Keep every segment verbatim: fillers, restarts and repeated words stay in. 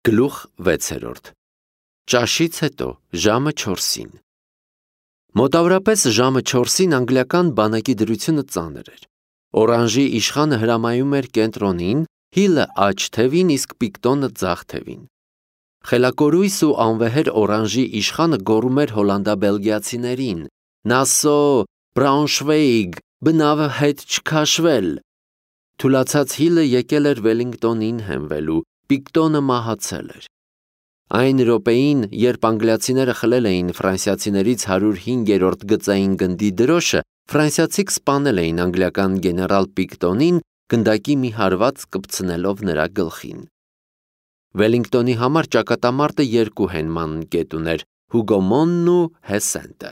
Գլուխ վեցերորդ Ճաշից հետո ժամը չորսին Մոտավորապես ժամը չորսին անգլիական բանակի դրությունը ծանր էր։ Օրանժի իշխանը հրամայում էր կենտրոնին, Հիլը աջ թևին, իսկ Պիկտոնը ձախ թևին։ Խելակորույս ու անվեհեր օրանժի իշխանը գոռում էր հոլանդա-բելգիացիներին. «Նասո, Բրաունշվեյգ, բնավ հետ չքաշվել»։ Թուլացած Հիլը եկել էր Վելինգտոնին հենվելու, Պիկտոնը մահացել էր։ Այն րոպեին, երբ անգլիացիները խլել էին ֆրանսիացիներից հարյուր հինգերորդ գծային գնդի դրոշը, ֆրանսիացիք սպանել էին անգլիական գեներալ Պիկտոնին, գնդակի մի հարված կպցնելով նրա գլխին։ Վելինգտոնի համար ճակատամարտը երկու հենման կետ ուներ՝ Հուգոմոնն ու Հեսենտը։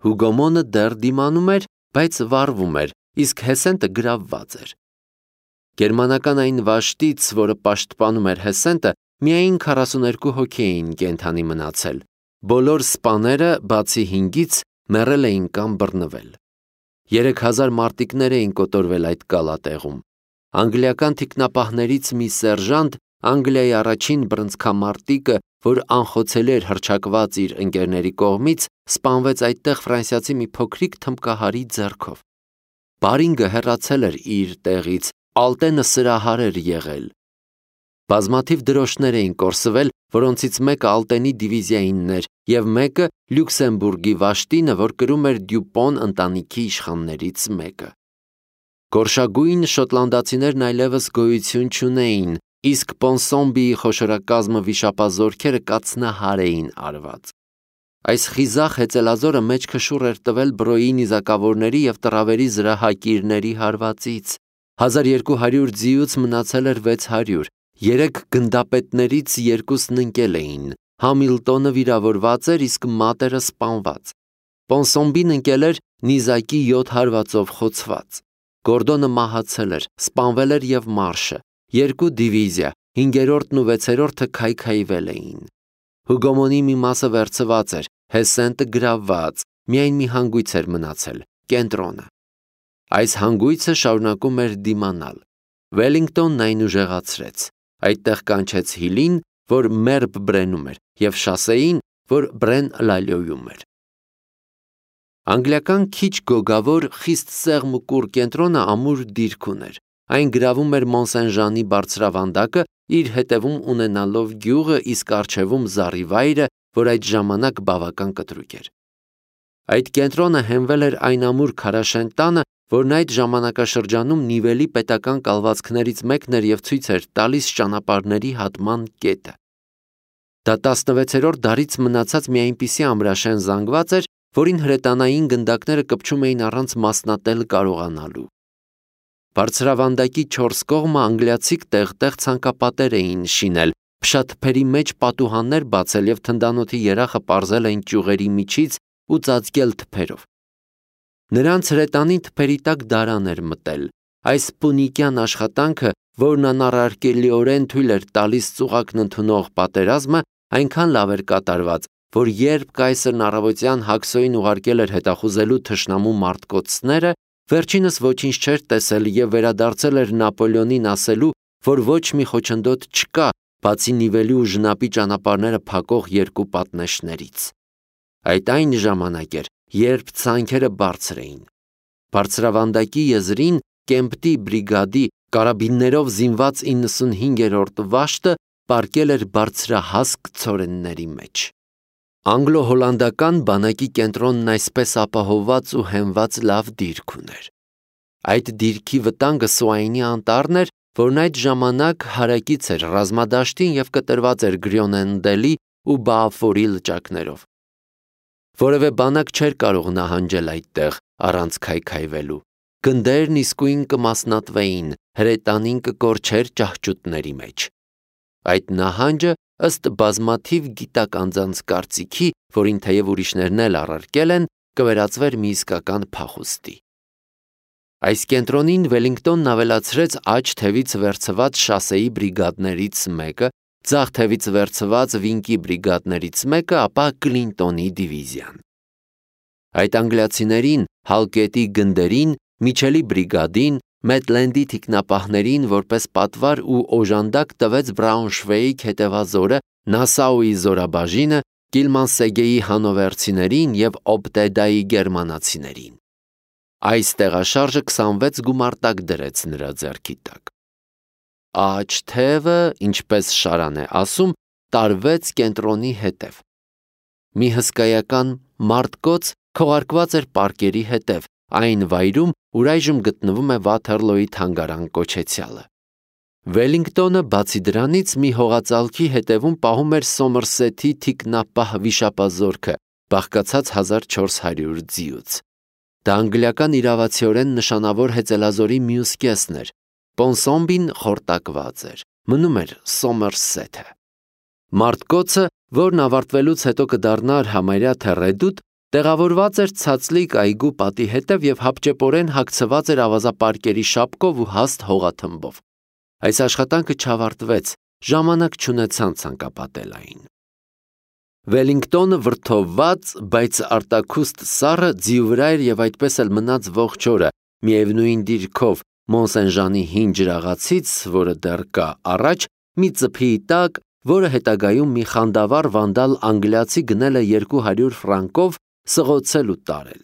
Հուգոմոնը դեռ դիմանում էր, բայց վառվում էր, իսկ Հեսենտը գրավված էր։ Գերմանական այն վաշտից, որը պաշտպանում էր Հեսենտը, միայն քառասուներկու հոգի էին կենդանի մնացել։ Բոլոր սպաները, բացի հինգից, մեռել էին կամ բռնվել։ Երեք հազար մարտիկներ էին կոտորվել այդ կալատեղում։ Անգլիական թիկնապահներից մի սերժանտ, Անգլիայի առաջին բռնցքամարտիկը, որ անխոցելի էր հռչակված իր ընկերների կողմից, սպանվեց այդտեղ ֆրանսիացի մի փոքրիկ թմբկահարի ձեռքով։ Բարինգը հեռացել էր իր տեղից, Ալտենը սրահար էր եղել։ Բազմաթիվ դրոշներ էին կորսվել, որոնցից մեկը Ալտենի դիվիզիայինն էր, և մեկը Լյուքսեմբուրգի վաշտինը, որ կրում էր Դյուպոն ընտանիքի իշխաններից մեկը։ Գորշագույն շոտլանդացիներն այլևս գոյություն չունեին, իսկ Պոնսոմբիի խոշորակազմը վիշապազորքերը կացնահար էին արված։ Այս խիզախ հեծելազորը մեջքը շուռ էր տվել Բրոյի նիզակավորների և տրավերի զրահակիրների հարվածից։ Հազար երկու հարյուր ձիուց մնացել էր վեց հարյուր, երեք գնդապետներից երկուսն ընկել էին, Համիլտոնը վիրավորված էր, իսկ մատերը սպանված։ Պոնսոմբին ընկել էր նիզակի յոթ հարվածով խոցված։ Գորդոնը մահացել էր, սպանվել էր և Մարշը, երկու դիվիզիա, հինգերորդն ու վեցերորդը քայքայվել էին։ Հուգոմոնի մի մասը վերցված էր, Հեսենտը գրավված, միայն մի հանգույց էր մնացել՝ կենտրոնը։ Այս հանգույցը շարունակում էր դիմանալ։ Վելինգտոնն այն ուժեղացրեց, այդտեղ կանչեց Հիլին, որ Մերբ Բրենում էր, և Շասեին, որ Բրեն Լալյոյում էր։ Անգլիական քիչ գոգավոր, խիստ սեղմուկուռ կենտրոնը ամուր դիրք ուներ։ Այն գրավում էր Մոնսեն-Ժանի բարձրավանդակը, իր հետևում ունենալով գյուղը, իսկ առջևում Զառիվայրը, որ այդ ժամանակ բավական կտրուկ էր։ Այդ կենտրոնը հենվել էր այն ամուր քարաշեն տանը, որն այդ ժամանակաշրջանում Նիվելի պետական կալվածքներից մեկն էր և ցույց էր տալիս ճանապարհների հատման կետը։ Դա տասնվեցերորդ դարից մնացած մի այնպիսի ամրաշեն զանգված էր, որին հրետանային գնդակները կպչում էին առանց մասնատել կարողանալու։ Բարձրավանդակի չորս կողմը անգլիացիք տեղ-տեղ ցանկապատեր էին շինել, փշաթփերի մեջ պատուհաններ բացել և թնդանոթի երախը պարզել այն ճյուղերի միջից ու ծածկել թփերով։ Նրանց հրետանին թփերի տակ դարան էր մտել։ Այս պունիկյան աշխատանքը, որն անառարկելիորեն թույլ էր տալիս ծուղակն ընդունող պատերազմը, այնքան լավ էր կատարված, որ երբ կայսրն առավոտյան Հաքսոյին ուղարկել էր հետախուզելու թշնամու մարտկոցները, վերջինս ոչինչ չէր տեսել և վերադարձել էր Նապոլեոնին ասելու, որ ոչ մի խոչընդոտ չկա, բացի Նիվելի ու Ժնապի ճանապարհները փակող երկու պատնեշներից։ Այդ այն ժամանակ էր, երբ ցանքերը բարձր էին։ Բարձրավանդակի եզրին Կեմպտի բրիգադի կարաբիններով զինված իննսունհինգերորդ վաշտը պառկել էր բարձրահասկ ցորենների մեջ։ Անգլո-հոլանդական բանակի կենտրոնն այսպես ապահովված ու հենված լավ դիրք ուներ։ Այդ դիրքի վտանգը Սուայնի անտառն էր, որն այդ ժամանակ հարակից էր ռազմադաշտին և կտրված էր Գրյոնենդելի ու Բաաֆորի լճակներով։ Որևէ բանակ չէր կարող նահանջել այդտեղ առանց քայքայվելու։ Գնդերն իսկույն կմասնատվեին, հրետանին կկորչեր ճահճուտների մեջ։ Այդ նահանջը, ըստ բազմաթիվ գիտակ անձանց կարծիքի, որին թեև ուրիշներն էլ առարկել են, կվերածվեր մի իսկական փախուստի։ Այս կենտրոնին Վելինգտոնն ավելացրեց աջ թևից վերցված Շասեի բրիգադներից մեկը, ձախ թևից վերցված Վինկի բրիգադներից մեկը, ապա Կլինտոնի դիվիզիան։ Այդ անգլիացիներին, Հալկետի գնդերին, Միչելի բրիգադին, Մեթլենդի թիկնապահներին որպես պատվար ու օժանդակ տվեց Բրաունշվեիգ հետևազորը, Նասաուի զորաբաժինը, Կիլմանսեգեի հանովերցիներին և Օբտեդայի գերմանացիներին։ Այս տեղաշարժը քսանվեց գումարտակ դրեց նրա ձեռքի տակ։ Աջ թևը, ինչպես Շարան է ասում, տարվեց կենտրոնի հետև։ Մի հսկայական մարտկոց քողարկված էր պարկերի հետև, այն վայրում, ուր այժմ գտնվում է Վաթերլոյի թանգարան կոչեցյալը։ Վելինգտոնը բացի դրանից մի հողածալքի հետևում պահում էր Սոմերսեթի թիկնապահ վիշապազորքը, բաղկացած հազար չորս հարյուր ձիուց։ Դա անգլիական իրավացիորեն նշանավոր հեծելազորի մյուս կեսն էր։ Պոնսոմբին խորտակված էր, մնում էր Սոմերսեթը։ Մարտկոցը, որն ավարտվելուց հետո կդառնար համարյա թե ռեդուտ, տեղավորված էր ցածլիկ այգու պատի հետև և հապճեպորեն հագցված էր ավազապարկերի շապկով ու հաստ հողաթմբով։ Այս աշխատանքը չավարտվեց, ժամանակ չունեցան ցանկապատել այն։ Վելինգտոնը վրդովված, բայց արտաքուստ սառը ձիու վրա էր և այդպես էլ մնաց ողջ օրը, միևնույն դիրքով Մոնսեն-Ժանի հին ջրաղացից, որը դեռ կա առաջ, մի ծփիի տակ, որը հետագայում մի խանդավառ վանդալ անգլիացի գնել է երկու հարյուր ֆրանկով, սղոցել ու տարել։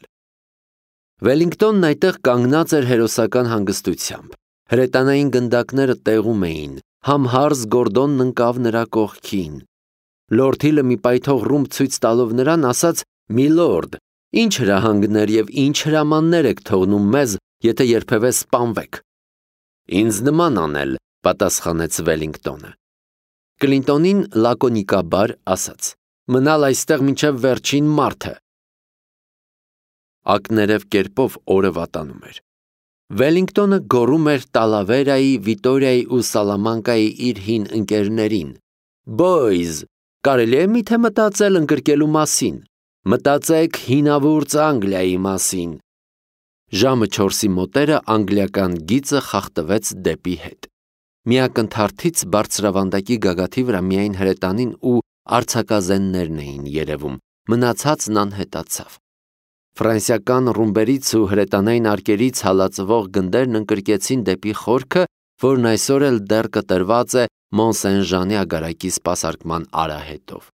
Վելինգտոնն այդտեղ կանգնած էր հերոսական հանգստությամբ։ Հրետանային գնդակները տեղում էին, համհարզ Գորդոնն ընկավ նրա կողքին։ Լորդ Հիլը մի պայթող ռումբ ցույց տալով նրան ասաց. «Միլորդ, ինչ հրահանգներ և ինչ հրամաններ եք թողնում մեզ, եթե երբևէ սպանվեք»։ «Ինձ նման անել», պատասխանեց Վելինգտոնը։ Կլինտոնին լակոնիկաբար ասաց. «Մնալ այստեղ մինչև վերջին մարդը»։ Ակներև կերպով օրը վատանում էր։ Վելինգտոնը գոռում էր Տալավերայի, Վիտորիայի ու Սալամանկայի իր հին ընկերներին. «Բոյզ, կարելի է միթե մտածել ընկրկելու մասին, մտածեք հինավուրց Անգլիայի մասին»։ Ժամը չորսի մոտերը անգլիական գիծը խախտվեց դեպի հետ։ Մի ակնթարթից բարձրավանդակի գագաթի վրա միայն հրետանին ու արձակազեններն էին երևում, մնացածն անհետացավ։ Ֆրանսիական ռումբերից ու հրետանային արկերից հալածվող գնդերն ընկրկեցին դեպի խորքը, որն այսօր էլ դեռ կտրված է Մոնսեն-Ժանի ագարակի սպասարկման արահետով։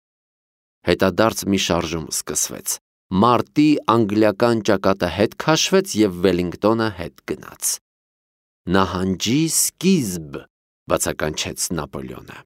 Հետադարձ մի շարժում սկսվեց։ Մարտի անգլիական ճակատը հետ քաշվեց և Վելինգտոնը հետ գնաց։ «Նահանջի սկիզբ», բացականչեց Նապոլեոնը։